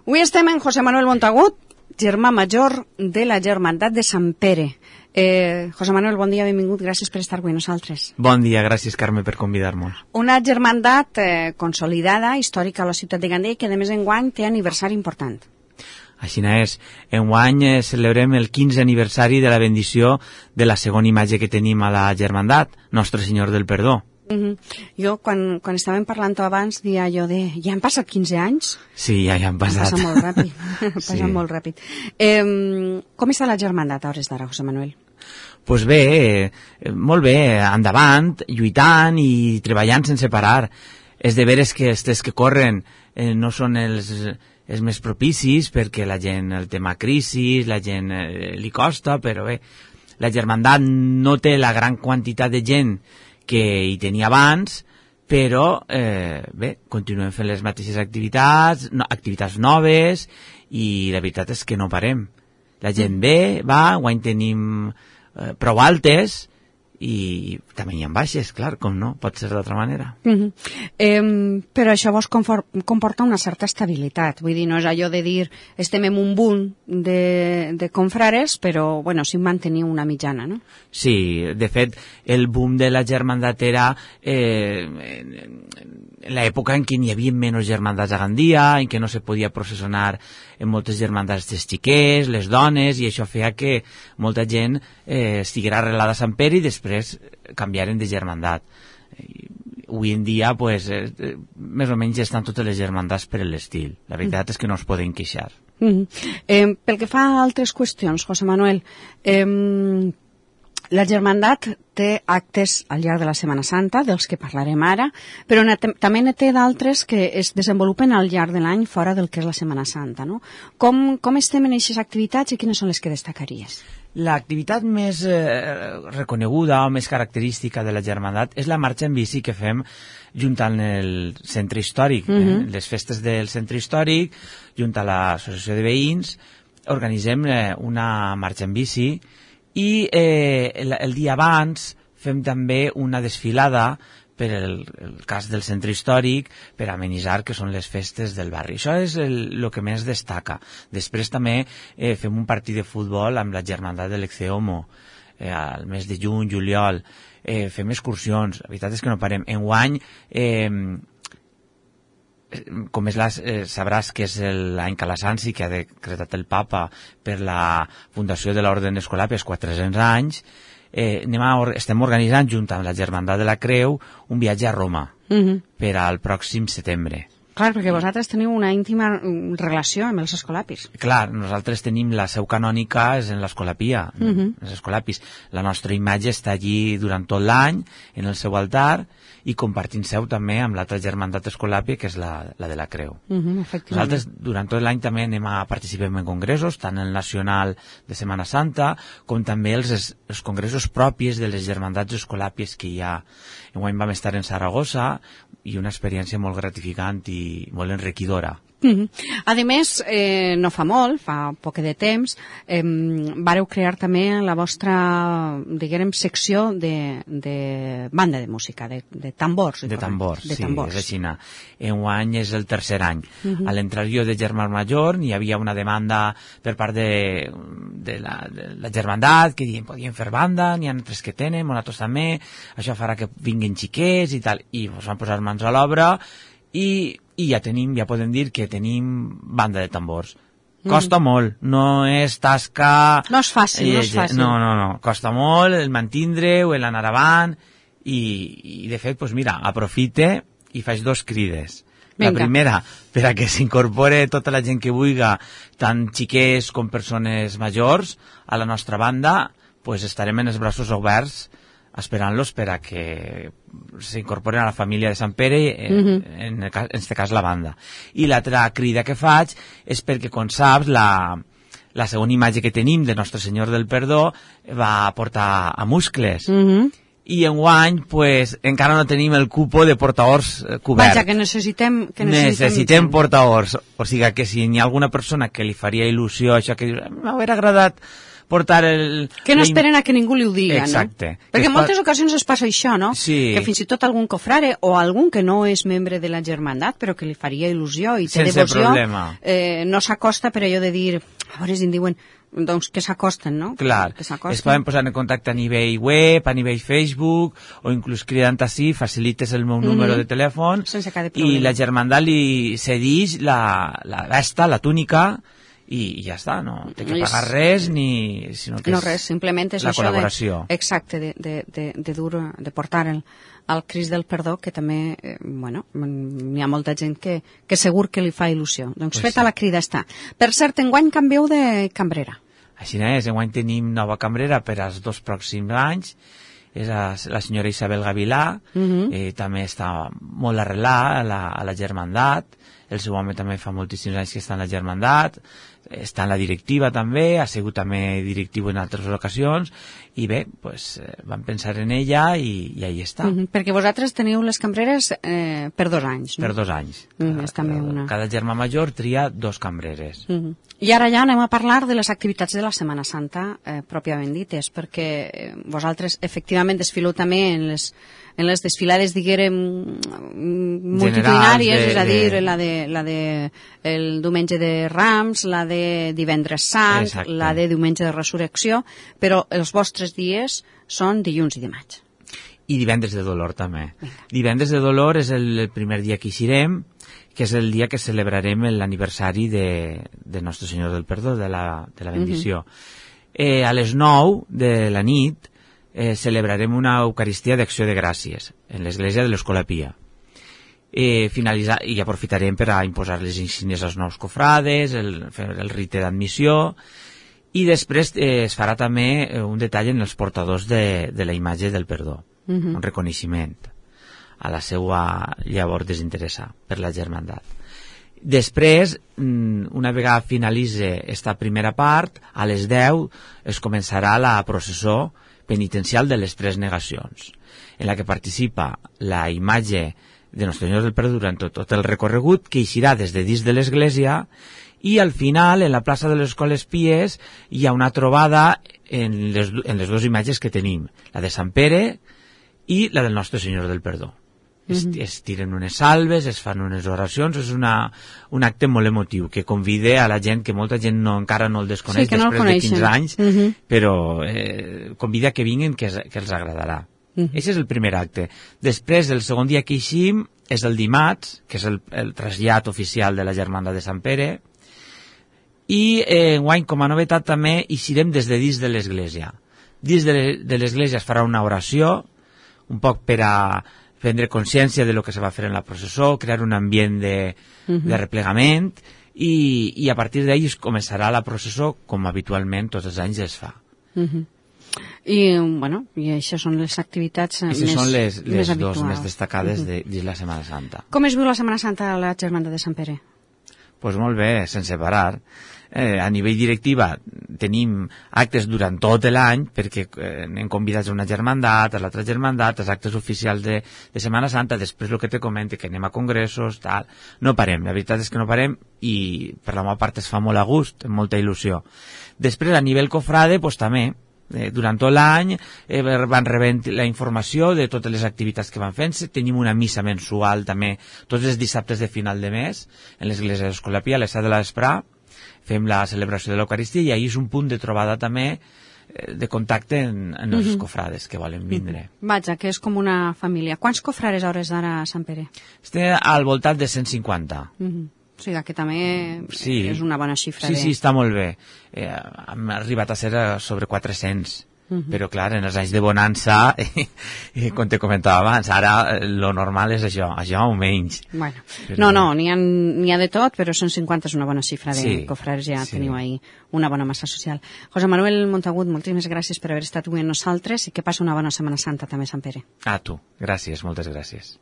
Avui estem en José Manuel Montagut, germà major de la Germandat de Sant Pere. José Manuel, bon dia, benvingut, gràcies per estar avui nosaltres. Bon dia, gràcies Carme per convidar-nos. Una germandat consolidada, històrica a la ciutat de Gandia i que a més enguany té aniversari important. Així és, enguany celebrem el 15è aniversari de la bendició de la segona imatge que tenim a la germandat, Nostre Senyor del Perdó. Jo, quan estàvem parlant abans, dia allò de... Ja han passat 15 anys? Sí, ja han passat. Passa molt ràpid. Passa molt ràpid. Com està la germandat a hores d'ara, José Manuel? Pues bé, molt bé, endavant, lluitant i treballant sense parar. És de veres que els temps que corren no són els més propicis perquè la gent, el tema crisi, la gent li costa, però bé, la germandat no té la gran quantitat de gent que hi tenia abans, però bé, continuem fent les mateixes activitats noves, i la veritat és que no parem. La gent ve, va, guany tenim prou altes, i també hi ha baixes, clar, com no, pot ser d'altra manera. Però això vos comporta una certa estabilitat, vull dir, no és allò de dir estem en un boom de confrares, però bueno, sí mantenir una mitjana, no? Sí, de fet, el boom de la germandat era l'època en què hi havia menys germandats a Gandia, en què no se podia processionar en moltes germandats dels xiquets, les dones, i això feia que molta gent estiguera arrelada a Sant Pere i després canviaren de germandat. Avui en dia, pues, més o menys estan totes les germandats per l'estil. La veritat és que no es poden queixar. Pel que fa a altres qüestions, José Manuel, la germandat té actes al llarg de la Setmana Santa, dels que parlarem ara, però també ne té d'altres que es desenvolupen al llarg de l'any fora del que és la Setmana Santa, no? Com estem en aquestes activitats i quines són les que destacaries? L'activitat més reconeguda o més característica de la germandat és la marxa en bici que fem junt al centre històric. Les festes del centre històric, junt a l'associació de veïns, organitzem una marxa en bici i el dia abans fem també una desfilada per el cas del centre històric per amenitzar que són les festes del barri. Això és el que més destaca. Després també fem un partit de futbol amb la germandat de l'Exceomo al mes de juny, juliol. Fem excursions. La veritat és que no parem. Enguany, com sabràs que és l'any Calasanci que ha decretat el papa per la fundació de l'Orde d'Escolàpies 400 anys, estem organitzant junt amb la Germandat de la Creu un viatge a Roma per al pròxim setembre. Clar, perquè vosaltres teniu una íntima relació amb els escolapis. Clar, nosaltres tenim la seu canònica és en l'Escolapia, els escolapis. La nostra imatge està allí durant tot l'any, en el seu altar, i compartint seu també amb l'altra germandat escolàpia, que és la de la Creu. Nosaltres durant tot l'any també participem en congressos, tant el nacional de Setmana Santa, com també els congressos propis de les germandats escolàpies que hi ha. Enguany vam estar en Saragossa, i una experiència molt gratificant i molt enriquidora. A més, no fa molt, fa poc de temps, vareu crear també la vostra, diguem, secció de banda de música, de tambors. De tambors, sí, tambors. És així. Enguany és el tercer any. A l'entrar jo de germà major hi havia una demanda per part de la germandat que diuen podien fer banda, n'hi ha altres que tenen, nosaltres també, això farà que vinguin xiquets i tal, i ens van posar mans a l'obra i ja podem dir que tenim banda de tambors. Costa molt, no és tasca... No és fàcil, no és fàcil. No, costa molt el mantindre-ho, l'anar avant, i de fet, doncs mira, aprofite i faig dos crides. La primera, per a que s'incorpore tota la gent que vulgui, tant xiquets com persones majors, a la nostra banda, doncs estarem en els braços oberts esperant-los per a que s'incorporen a la família de Sant Pere, en aquest cas la banda. I l'altra crida que faig és perquè, com saps, la segona imatge que tenim de Nostre Senyor del Perdó va portar a Muscles. I enguany, pues, encara no tenim el cupo de portaors cobert. Vaja, que necessitem portaors. O sigui que si hi ha alguna persona que li faria il·lusió això, que m'hauria agradat portar el... Que no esperen a que ningú li ho diga, exacte. No? Perquè en moltes ocasions es passa això, no? Sí. Que fins i tot algun cofrare o algun que no és membre de la germandat, però que li faria il·lusió i té sense devoció, problema. No s'acosta per allò de dir, a veure si en diuen, doncs que s'acosten, no? Clar, es poden posar en contacte a nivell web, a nivell Facebook, o inclús cridant així, facilites el meu número de telèfon, i la germandat li cedeix la vesta, la túnica, i ja està, no té que pagar res, sinó que no res, simplement és la això col·laboració. Exacte, de portar el Crist del Perdó, que també, n'hi ha molta gent que segur que li fa il·lusió. Doncs feta la crida està. Per cert, enguany canvieu de cambrera. Així és, enguany tenim nova cambrera per als 2 pròxims anys, és la senyora Isabel Gavilà, també està molt arrelada a la germandat, el seu home també fa moltíssims anys que està en la germandat, està en la directiva també, ha sigut també directiu en altres ocasions, i bé, pues, vam pensar en ella i ahí està. Perquè vosaltres teniu les cambreres per 2 anys, no? Per 2 anys. Cada germà major tria 2 cambreres. I ara ja anem a parlar de les activitats de la Setmana Santa pròpiament dites, perquè vosaltres efectivament desfileu també en les desfilades, diguérem, multitudinàries, és a dir, la de el diumenge de Rams, la de divendres sant, la de diumenge de resurrecció, però els vostres dies són dilluns i dimarts. I divendres de dolor també. Divendres de dolor és el primer dia que eixirem, que és el dia que celebrarem l'aniversari de Nostre Senyor del Perdó, de la bendició. A les 9 de la nit celebrarem una Eucaristia d'Acció de Gràcies en l'església de l'Escola Pia. I aprofitarem per a imposar les insígnies als nous cofrades, fer el rite d'admissió, i després es farà també un detall en els portadors de la imatge del perdó, un reconeixement a la seva llavor desinteressar per la germandat. Després, una vegada finalitzi esta primera part, a les 10 es començarà la processó penitencial de les 3 negacions, en la que participa la imatge de Nostre Senyor del Perdó durant tot el recorregut, que eixirà des de dins de l'església, i al final, en la plaça de les Escoles Pies, hi ha una trobada en les 2 imatges que tenim, la de Sant Pere i la del Nostre Senyor del Perdó. Es tiren unes salves, es fan unes oracions, és un acte molt emotiu que convida a la gent, que molta gent encara no el desconeix després de 15 anys, però convida que vinguin, que els agradarà. Aquest és el primer acte. Després, el segon dia que eixim és el dimarts, que és el trasllat oficial de la germandat de Sant Pere, i enguany, com a novetat, també eixirem des de dins de l'església. Dins de l'església es farà una oració, un poc per a prendre consciència de lo que se va fer en la processó, crear un ambient de replegament, i a partir d'ahí es començarà la processó com habitualment tots els anys es fa. I això són les activitats més habituals. Són les 2 més destacades dins la Setmana Santa. Com es viu la Setmana Santa a la germandat de Sant Pere? Doncs molt bé, sense parar. A nivell directiva tenim actes durant tot l'any, perquè anem convidats a una germandat, a l'altra germandat, als actes oficials de Setmana Santa, després el que te comento, que anem a congressos, tal. No parem, la veritat és que no parem, i per la meva part es fa molt a gust, amb molta il·lusió. Després, a nivell cofrade, doncs també, durant tot l'any van rebent la informació de totes les activitats que van fent-se. Tenim una missa mensual també tots els dissabtes de final de mes en l'església d'Escola Pia, a les 7 de la vesprà fem la celebració de l'Eucaristia, i ahí és un punt de trobada també de contacte en els cofrades que volen vindre. Vaja, que és com una família. Quants cofrades a hores d'ara a Sant Pere? Estem al voltant de 150. O sigui que també és una bona xifra. Sí, està molt bé. Hem arribat a ser sobre 400. Però clar, en els anys de bonança, com te comentava abans, ara lo normal és això o menys. Bueno, no, n'hi ha de tot, però 150 és una bona xifra de cofrares, ja teniu ahí una bona massa social. José Manuel Montagut, moltíssimes gràcies per haver estat avui amb nosaltres, i que passi una bona Setmana Santa també, Sant Pere. A tu, gràcies, moltes gràcies.